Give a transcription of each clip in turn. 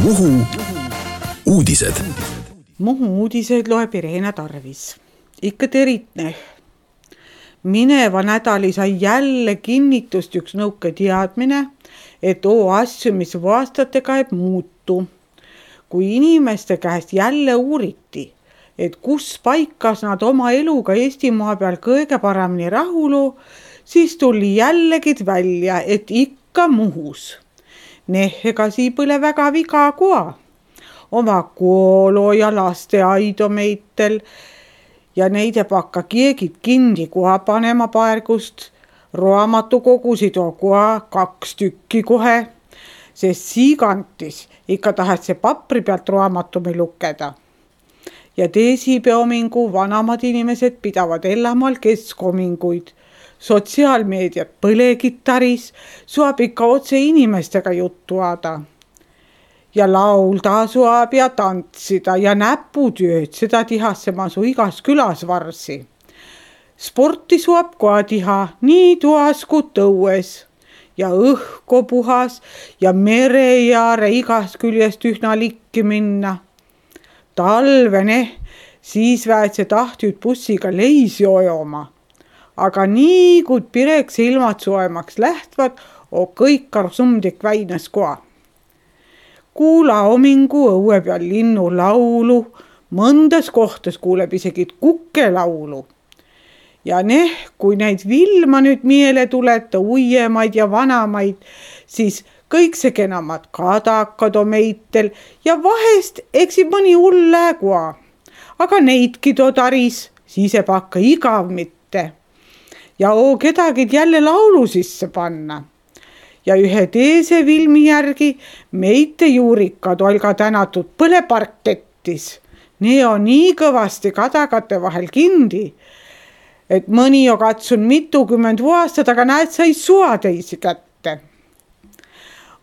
Muhu uudised. Muhu uudised loeb Irena Tarvis. Ikka teritne. Mineva nädali sai jälle kinnitust üks nõuke teadmine, et asju, mis aastatega ei muutu. Kui inimeste käest jälle uuriti, et kus paikas nad oma eluga Eestimaa peal kõige paremini rahulu, siis tuli jällegi välja, et ikka Muhus. Ega sii põle väga viga koa. Oma koolo ja lasteaido meitel ja neide pakka kiegid kindi koha panema paergust. Raamatukogusid on koha 2 tükki kohe, sest siigantis ikka tahet see papri pealt raamatumi lukeda. Ja teisipäomingu vanamad inimesed pidavad elamal keskominguid. Sotsiaalmeediat põlegitaris suab ikka otse inimestega juttu aada. Ja laulda suab ja tantsida ja näputööd, seda tihasse masu igas külas varsi. Sporti suab koha tiha nii toas kui tõues ja õhko puhas ja merejaare igas küljest ühna likki minna. Talvene siis väetse tahtjud bussiga leisi ojoma. Aga nii kui pireks ilmad soemaks lähtvad, kõik karsumdik väines koha. Kuula omingu õue peal linnu laulu, mõndas kohtas kuuleb isegi kukke laulu. Ja kui neid vilma nüüd miele tuleta, uiemaid ja vanamaid, siis kõik see kenamad kadakad on meitel ja vahest eksib mõni hull läägua. Aga neidki taris, siis ei pakka igav mitte. Ja kedagi jälle laulu sisse panna. Ja ühe teise filmi järgi meite juurikad olga tänatud põleparkettis. Need on nii kõvasti kadagate vahel kindi, et mõni on katsun mitukümmend aastat, aga näed, sai sua teisi kätte.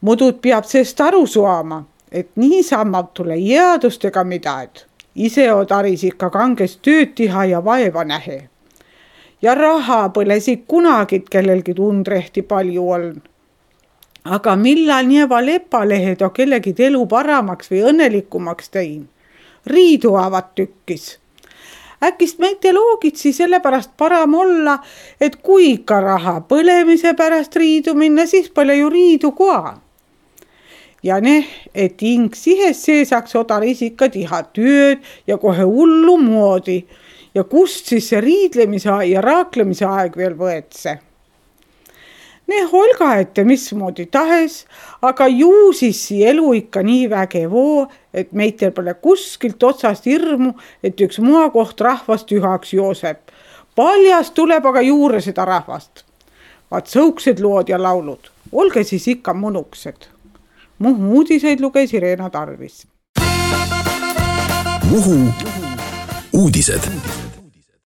Mudud peab seest aru suama, et niisamalt tule jäädustega midagi. Ise on taris ikka kangest tööd tiha ja vaeva nähe. Ja raha põlesik kunagid kellelgi tundrehti palju on. Aga millal nieva lepalehed on kellegi elu paramaks või õnnelikumaks tein? Riidu avad tükkis. Äkist meite loogitsi sellepärast param olla, et kui ikka raha põlemise pärast riidu minna, siis pole ju riidu koha. Ja et ing sihes seesaks odaris ikka tiha tööd ja kohe hullu moodi. Ja kust siis see riidlemise ja raaklemise aeg veel võetse? Olga ette mismoodi tahes, aga ju siis elu ikka nii vägevoo, et meitel pole kuskilt otsast hirmu, et üks koht rahvast ühaks jooseb. Paljast tuleb aga juurde seda rahvast. Vaat sõuksed lood ja laulud. Olge siis ikka mõnuksed. Muhu uudiseid luges Irena Tarvis. Muhu uudised.